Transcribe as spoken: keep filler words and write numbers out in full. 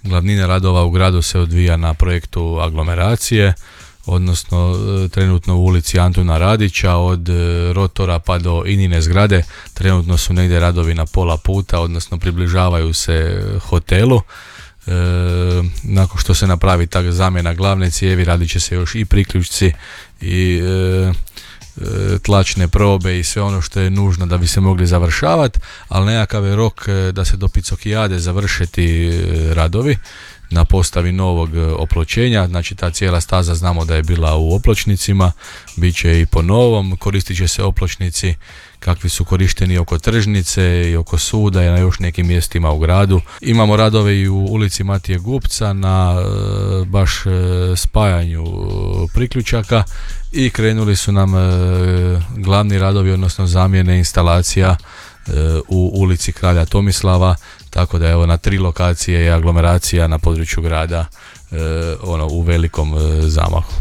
Glavnina radova u gradu se odvija na projektu aglomeracije, odnosno trenutno u ulici Antuna Radića od rotora pa do Inine zgrade trenutno su negdje radovi na pola puta, odnosno približavaju se hotelu. E, nakon što se napravi ta zamjena glavne cijevi radit će se još i priključci i e, tlačne probe i sve ono što je nužno da bi se mogli završavati, ali nekakav je rok da se do Picokijade završe ti radovi na postavi novog opločenja. Znači ta cijela staza znamo da je bila u opločnicima, bit će i po novom, koristit će se opločnici kakvi su korišteni oko tržnice i oko suda i na još nekim mjestima u gradu. Imamo radove i u ulici Matije Gupca na baš spajanju priključaka i krenuli su nam glavni radovi, odnosno zamjene instalacija u ulici Kralja Tomislava, tako da je evo na tri lokacije je aglomeracija na području grada ono u velikom zamahu.